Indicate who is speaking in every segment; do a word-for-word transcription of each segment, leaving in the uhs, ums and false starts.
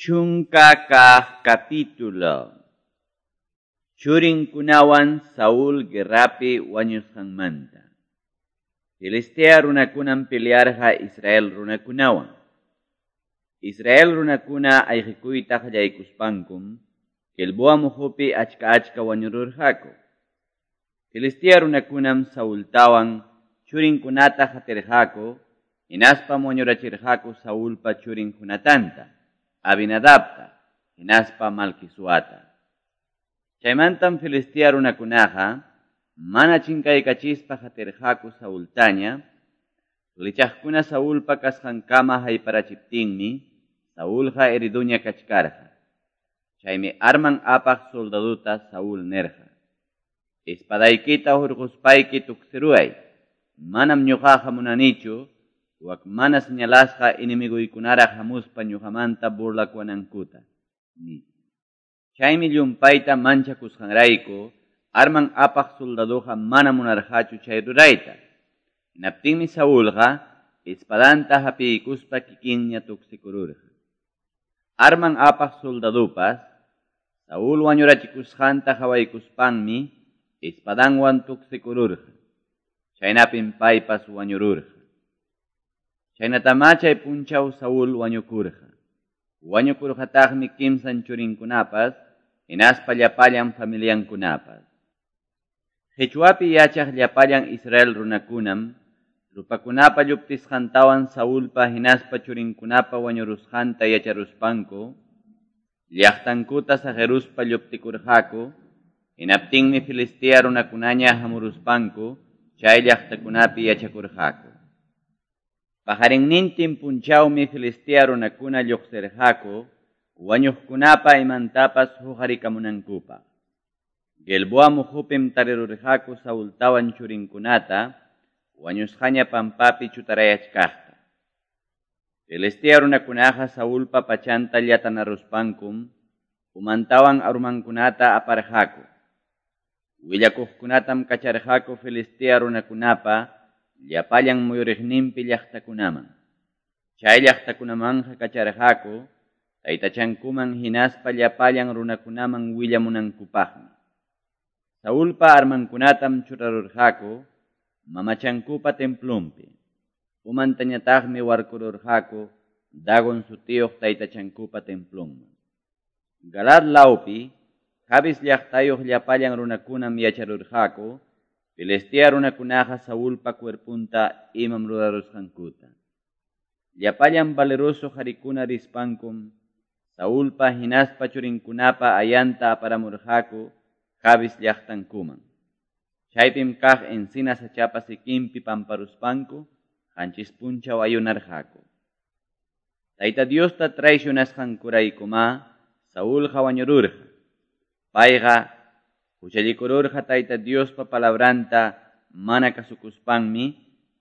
Speaker 1: Chunka kaq capítulo. Churinkunawan Saúl guerrapi wañusqanmanta. Filistea runakunam pelearqa Israel runakunawan. Israel runakuna ayqikuyta qallaykuspankum, Gilboa muhupi achka achka wañururqaku. Filistea runakunam Saultawan churinkunata hatirqaku, hinaspam wañurachirqaku Saulpa churin Jonatanta, Abinadabta, hinaspa Malquisuata. Chaymantam Filistea runakunaqa mana chinkaykachispa hatirqaku Saultaña, lichaqkuna Saulpa kasqankama hayparachiptinmi, Saulqa heriduña kachkarqa. Chaymi arman apaq soldaduta Saúl nerqa: Espadaykita hurquspayki tuksiruway, manam ñuqaqa munanichu, wak mana señalasqa enemiguykunaraq hamuspa ñuqamanta burlakuwanankuta, nispa. Chaymi llumpayta manchakusqanrayku, arman apaq soldaduqa mana munarqachu chay rurayta. Hinaptinmi Saulqa espadanta hapiykuspa kikinña tuksikururqa. Arman apaq soldadupas Saúl wañurachikusqanta qhawaykuspanmi espadanwan tuksikururqa. Chaynapim paypas wañururqa. Chaynatamá chay punchaw Saúl wañukurqa. Wañukurqataqmi kimsan churinkunapas, hinaspa llapallan familiankunapas. Qichwapi yachaq llapallan Israel runakunam, rupakunapa lluptisqantawan Saulpa hinaspa churinkunapa wañurusqanta yacharuspanku, llaqtankuta saqiruspa lluptikurqaku, hinaptinmi Filistea runakunaña hamuruspanku, chay llaqtakunapi yachakurqaku. Pajarinnintin punchawmi Filistea runakuna lluqsirqaku, wañuqkunapa imantapas huqarikamunankupaq. Gilboa muhupim tarirurqaku Saultawan churinkunata, wañusqaña pampapi chutarayachkaqta. Filistea runakunaqa Saulpa pachanta llatanaruspankum, umantawan armankunata aparqaku. Willakuqkunatam kacharqaku Filistea runakunapa llapallan muyuriqninpi llaqtakunaman. Chay llaqtakunamanqa kacharqaku taytachankuman hinaspa llapallan runakunaman willamunankupaqmi. Saulpa armankunatam churarurqaku mamachankupa templonpi. Umantañataqmi warkururqaku Dagon sutiyuq taytachankupa templonman. Galaad lawpi Jabes llaqtayuq llapallan runakunam yacharurqaku Filistea runakunaqa Saulpa cuerpunta imam rurarusqankuta. Llapallan valeroso qarikuna rispankum Saulpa hinaspa churinkunapa ayanta aparamurqaku Jabes llaqtankuman. Chaypim kaq encina sachapa sikinpi pamparuspanku qanchis punchaw ayunarqaku. Tayta Diosta traicionasqankuraykumá Saulqa wañururqa. Payqa huchallikururqa Tayta Diospa palabranta mana kasukuspanmi,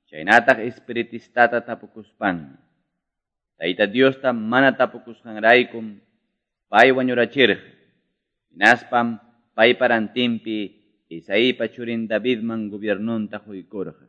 Speaker 1: chaynataq espiritistata tapukuspanmi. Tayta Diosta mana tapukusqanraykum pay wañurachirqa. Hinaspam paypa rantinpi Isaípa churin Davidman gobiernunta huykurqa.